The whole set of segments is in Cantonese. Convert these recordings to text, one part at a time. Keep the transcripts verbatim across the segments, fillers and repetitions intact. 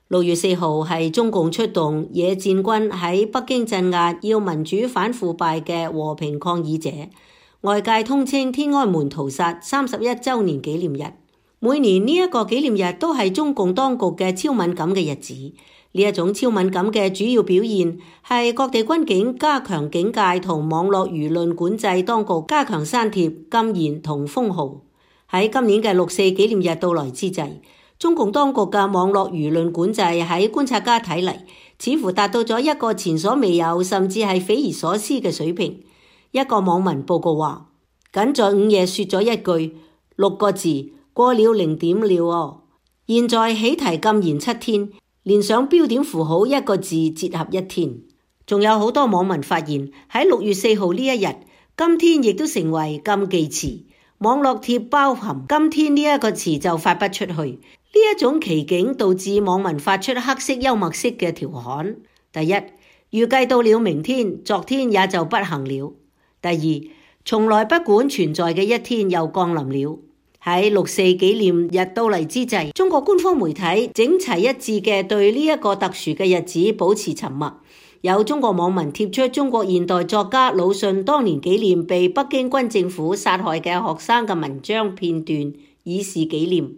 六月四號係中共出動野戰軍喺北京鎮壓要民主反腐敗嘅和平抗議者，外界通稱天安門屠殺三十一週年紀念日。每年呢一個紀念日都係中共當局嘅超敏感嘅日子。呢一種超敏感嘅主要表現係各地軍警加強警戒同網絡輿論管制，當局加強刪帖、禁言同封號。喺今年嘅六四紀念日到來之際，中共當局嘅網絡輿論管制喺觀察家睇嚟，似乎達到咗一個前所未有甚至係匪夷所思嘅水平。一個網民報告話，僅在午夜說咗一句六個字，過了零點了哦。現在起題禁言七天，連上標點符號一個字折合一天。仲有好多網民發現喺六月四號呢一日，今天亦都成為禁忌詞，網絡貼包含今天呢一個詞就發不出去。呢一種奇景導致網民發出黑色幽默式嘅調侃。第一，預計到了明天，昨天也就不行了。第二，從來不管存在嘅一天又降臨了。喺六四紀念日到嚟之際，中國官方媒體整齊一致嘅對呢一個特殊嘅日子保持沉默。有中國網民貼出中國現代作家魯迅當年紀念被北京軍政府殺害嘅學生嘅文章片段，以示紀念。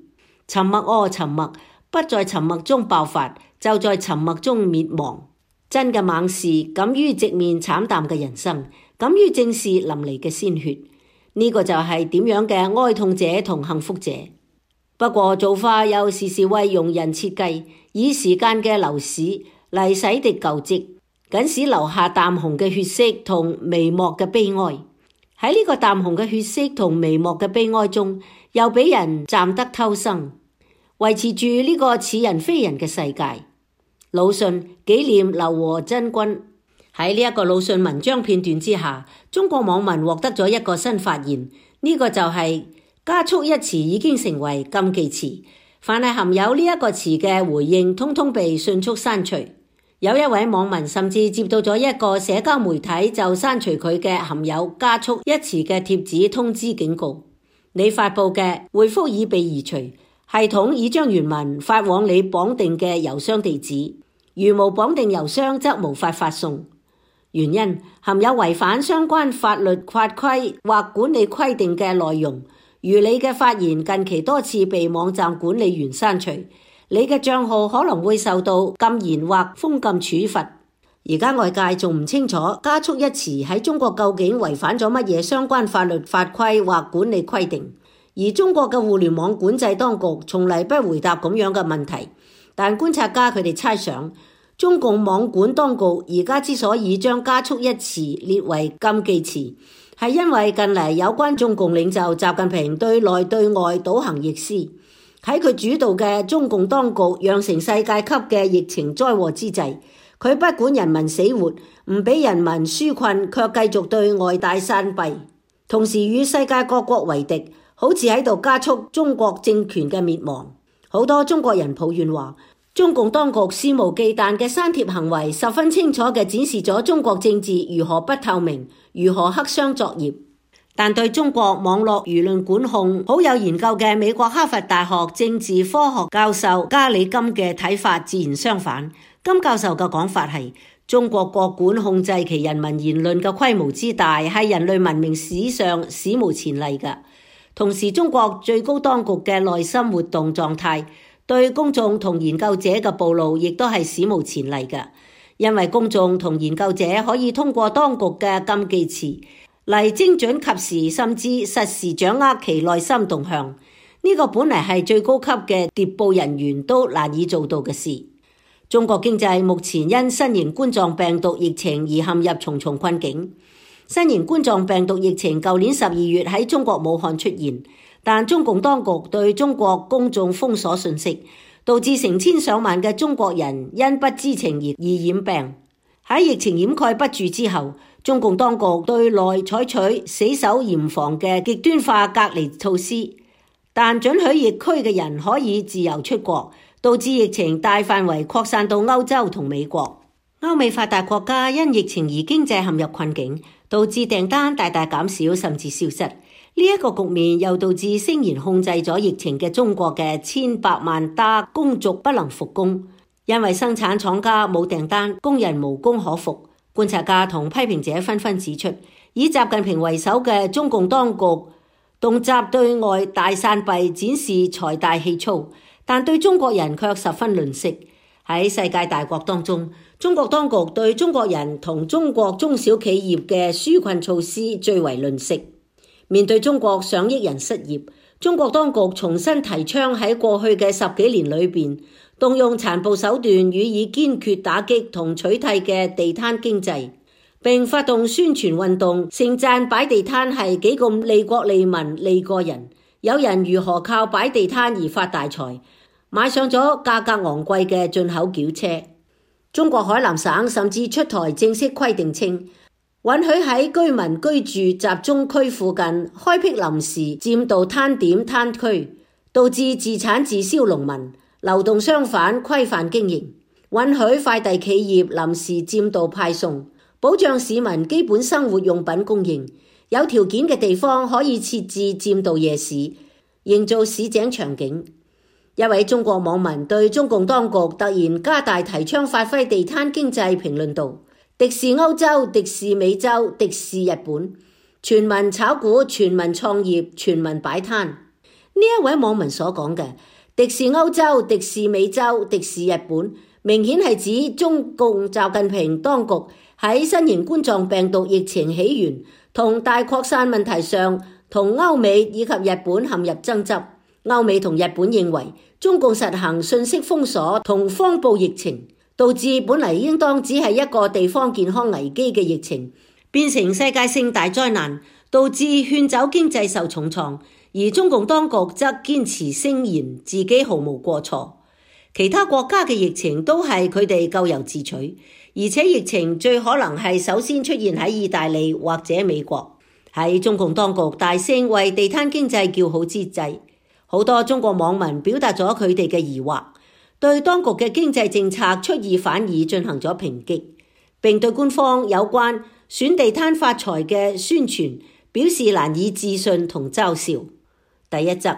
沉默哦，沉默，不在沉默中爆發，就在沉默中滅亡。真嘅猛士敢於直面慘淡嘅人生，敢於正視淋漓嘅鮮血。呢個就係點樣嘅哀痛者同幸福者。不過造化又時時為庸人設計，以時間嘅流逝嚟洗滌舊跡，僅使留下淡紅嘅血色同微漠嘅悲哀。喺呢個淡紅嘅血色同微漠嘅悲哀中，又俾人暫得偷生，維持住呢個似人非人嘅世界。魯迅紀念劉和珍君。喺呢一個魯迅文章片段之下，中國網民獲得咗一個新發現，呢、這個就係加速一詞已經成為禁忌詞，凡係含有呢一個詞嘅回應，通通被迅速刪除。有一位網民甚至接到咗一個社交媒體就刪除佢嘅含有加速一詞嘅貼紙通知警告，你發佈嘅回覆已被移除，系統已將原文發往你綁定嘅郵箱地址，如無綁定郵箱則無法發送。原因含有違反相關法律法規或管理規定嘅內容，如你嘅發言近期多次被網站管理員刪除，你嘅賬號可能會受到禁言或封禁處罰。而家外界仲唔清楚加速一詞喺中國究竟違反咗乜嘢相關法律法規或管理規定，而中國嘅互聯網管制當局從嚟不回答咁樣嘅問題。但觀察家佢哋猜想，中共網管當局而家之所以將加速一詞列為禁忌詞，係因為近嚟有關中共領袖習近平對內對外倒行逆施，喺佢主導嘅中共當局釀成世界級嘅疫情災禍之際，佢不管人民死活，唔俾人民紓困，卻繼續對外大散幣，同時與世界各國為敵，好似喺度加速中國政權嘅滅亡。好多中國人抱怨話，中共當局肆無忌憚嘅刪帖行為，十分清楚嘅展示咗中國政治如何不透明，如何黑箱作業。但對中國網絡輿論管控好有研究嘅美國哈佛大學政治科學教授加里金嘅睇法自然相反。金教授嘅講法係，中國國管控制其人民言論嘅規模之大，係人類文明史上史無前例嘅。同時，中國最高當局嘅內心活動狀態，對公眾同研究者嘅暴露亦都係史無前例嘅，因為公眾同研究者可以通過當局嘅禁忌詞嚟精準及時甚至實時掌握其內心動向，呢、這個本嚟係最高級嘅諜報人員都難以做到嘅事。中國經濟目前因新型冠狀病毒疫情而陷入重重困境。新型冠狀病毒疫情舊年十二月喺中國武漢出現，但中共當局對中國公眾封鎖信息，導致成千上萬嘅中國人因不知情而染病。喺疫情掩蓋不住之後，中共當局對內採取死守嚴防嘅極端化隔離措施，但准許疫區嘅人可以自由出國，導致疫情大範圍擴散到歐洲同美國。歐美發達國家因疫情而經濟陷入困境，導致訂單大大減少甚至消失。呢、這、一個局面又導致聲言控制咗疫情嘅中國嘅千百萬打工族不能復工。因為生產廠家冇訂單，工人無工可復。觀察家同批評者紛紛指出，以習近平為首嘅中共當局動輒對外大散幣，展示財大氣粗，但對中國人卻十分吝嗇。喺世界大國當中，中國當局對中國人同中國中小企業嘅紓困措施最為吝嗇。面對中國上億人失業，中國當局重新提倡喺過去嘅十幾年裏邊，動用殘暴手段予以堅決打擊同取締嘅地攤經濟，並發動宣傳運動，盛讚擺地攤係幾咁利國利民利個人。有人如何靠擺地攤而發大財，買上咗價格昂貴嘅進口轎車。中國海南省甚至出台正式規定稱，允許喺居民居住集中區附近開闢臨時佔道攤點攤區，導致自產自銷農民、流動商販規範經營，允許快遞企業臨時佔道派送，保障市民基本生活用品供應。有條件嘅地方可以設置佔道夜市，營造市井場景。一位中國網民對中共當局突然加大提倡發揮地攤經濟評論道：敵視歐洲，敵視美洲，敵視日本，全民炒股，全民創業，全民擺攤。呢一位網民所講嘅敵視歐洲、敵視美洲、敵視日本，明顯係指中共習近平當局喺新型冠狀病毒疫情起源同大擴散問題上，同歐美以及日本陷入爭執。歐美同日本認為中共實行信息封鎖同謊報疫情，導致本嚟應當只係一個地方健康危機嘅疫情，變成世界性大災難，導致勸走經濟受重創。而中共當局則堅持聲言自己毫無過錯，其他國家嘅疫情都係佢哋咎由自取，而且疫情最可能係首先出現喺意大利或者美國。喺中共當局大聲為地攤經濟叫好之際，好多中國網民表達咗佢哋嘅疑惑，對當局嘅經濟政策出爾反爾進行咗抨擊，並對官方有關選地攤發財嘅宣傳表示難以置信同嘲笑。第一則，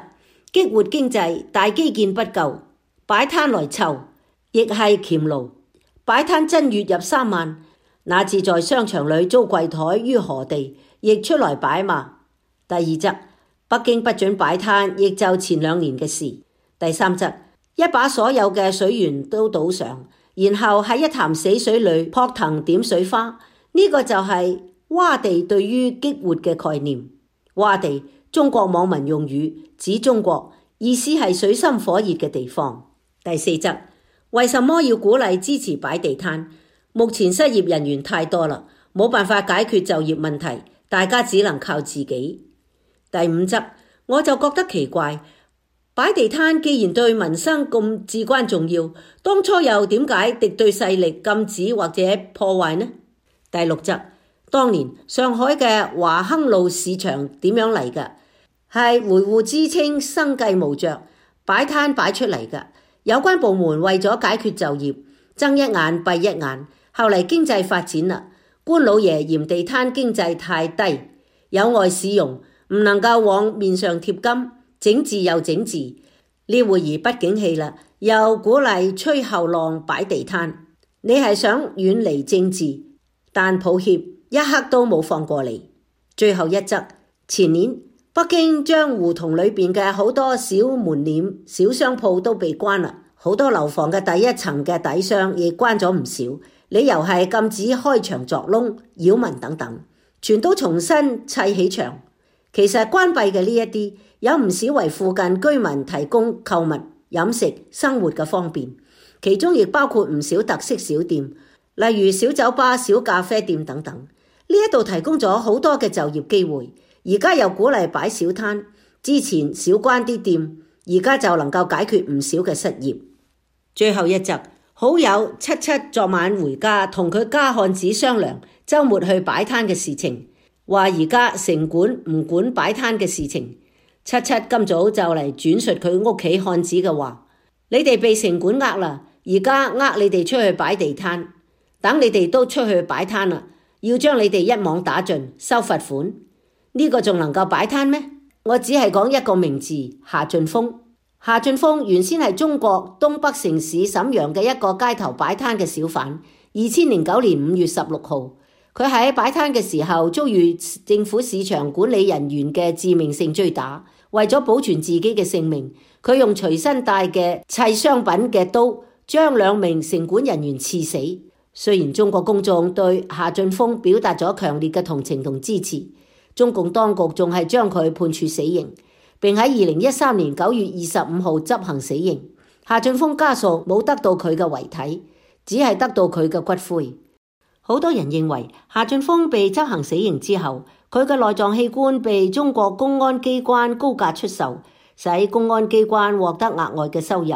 激活經濟，大基建不夠，擺攤來湊，亦係黔驢。擺攤真月入三萬，那次在商場裏租櫃台於何地，亦出來擺嘛。第二則，北京不准擺攤，亦就前兩年嘅事。第三則，一把所有嘅水源都倒上，然後喺一潭死水裏撲騰點水花，呢、這個就係窪地對於激活嘅概念。窪地，中國網民用語，指中國，意思係水深火熱嘅地方。第四則，為什麼要鼓勵支持擺地攤？目前失業人員太多啦，冇辦法解決就業問題，大家只能靠自己。第五則，我就覺得奇怪，擺地攤既然對民生咁至關重要，當初又點解敵對勢力禁止或者破壞呢？第六則，當年上海嘅華亨路市場點樣嚟嘅？係維護支撐生計無着，擺攤擺出嚟嘅。有關部門為咗解決就業，睜一眼閉一眼。後嚟經濟發展啦，官老爺嫌地攤經濟太低，有礙市容，唔能夠往面上貼金，整治又整治。呢會兒不景氣啦，又鼓勵吹後浪擺地攤。你係想遠離政治，但抱歉，一刻都冇放過你。最後一則，前年北京將胡同裏邊嘅好多小門臉、小商鋪都被關啦，好多樓房嘅第一層嘅底商亦關咗唔少，理由係禁止開牆鑿窿、擾民等等，全都重新砌起牆。其實關閉嘅呢一啲，有唔少為附近居民提供購物、飲食、生活嘅方便，其中亦包括唔少特色小店，例如小酒吧、小咖啡店等等。呢一度提供咗好多嘅就業機會。而家又鼓勵擺小攤，之前少關啲店，而家就能夠解決唔少嘅失業。最後一則，好友七七昨晚回家同佢家漢子商量週末去擺攤嘅事情，話而家城管唔管擺攤嘅事情。七七今早就嚟轉述佢屋企漢子嘅話：你哋被城管呃啦，而家呃你哋出去擺地攤，等你哋都出去擺攤啦，要將你哋一網打盡，收罰款。呢個仲能夠擺攤咩？我只係講一個名字，夏俊峰。夏俊豐原先係中國東北城市瀋陽嘅一個街頭擺攤嘅小販。二千零九年五月十六號，佢喺擺攤嘅時候遭遇政府市場管理人員嘅致命性追打，為咗保存自己嘅性命，佢用隨身帶嘅砌商品嘅刀將兩名城管人員刺死。雖然中國公眾對夏俊豐表達咗強烈嘅同情同支持，中共當局仲係將佢判處死刑，並喺二零一三年九月二十五號執行死刑。夏俊豐家屬冇得到佢嘅遺體，只係得到佢嘅骨灰。好多人認為夏俊豐被執行死刑之後，佢嘅內臟器官被中國公安機關高價出售，使公安機關獲得額外嘅收入。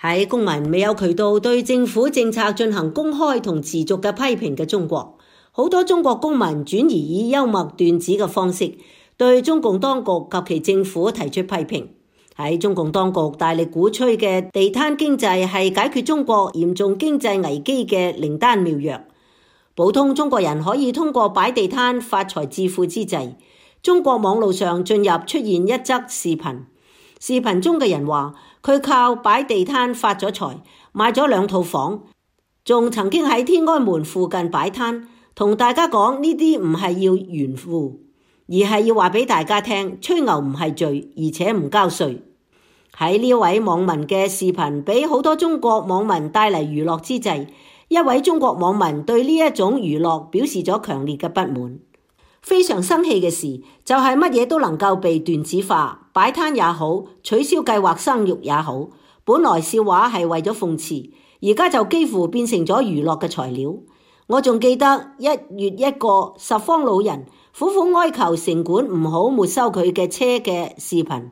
喺公民未有渠道對政府政策進行公開同持續嘅批評嘅中國，好多中國公民轉而以幽默段子嘅方式對中共當局及其政府提出批評。喺中共當局大力鼓吹嘅地攤經濟係解決中國嚴重經濟危機嘅靈丹妙藥。普通中國人可以通過擺地攤發財致富之際，中國網絡上進入出現一則視頻。視頻中嘅人話佢靠擺地攤發咗財，買咗兩套房，仲曾經喺天安門附近擺攤，同大家講呢啲唔係要炫富，而係要話俾大家聽，吹牛唔係罪，而且唔交稅。喺呢位網民嘅視頻俾好多中國網民帶嚟娛樂之際，一位中國網民對呢一種娛樂表示咗強烈嘅不滿。非常生氣嘅事就係乜嘢都能夠被段子化，擺攤也好，取消計劃生育也好，本來笑話係為咗諷刺，而家就幾乎變成咗娛樂嘅材料。我仲記得一月一個十方老人苦苦哀求城管唔好沒收佢嘅車嘅視頻。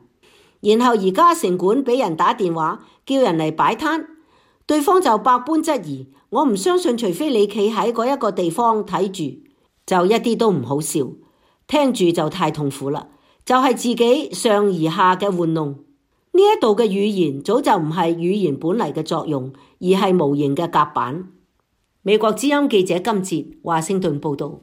然後而家城管俾人打電話叫人嚟擺攤，對方就百般質疑。我唔相信，除非你企喺嗰一個地方睇住，就一啲都唔好笑，聽住就太痛苦啦。就係自己上而下嘅玩弄。呢一度嘅語言早就唔係語言本嚟嘅作用，而係無形嘅夾板。美國之音記者金哲華盛頓報道。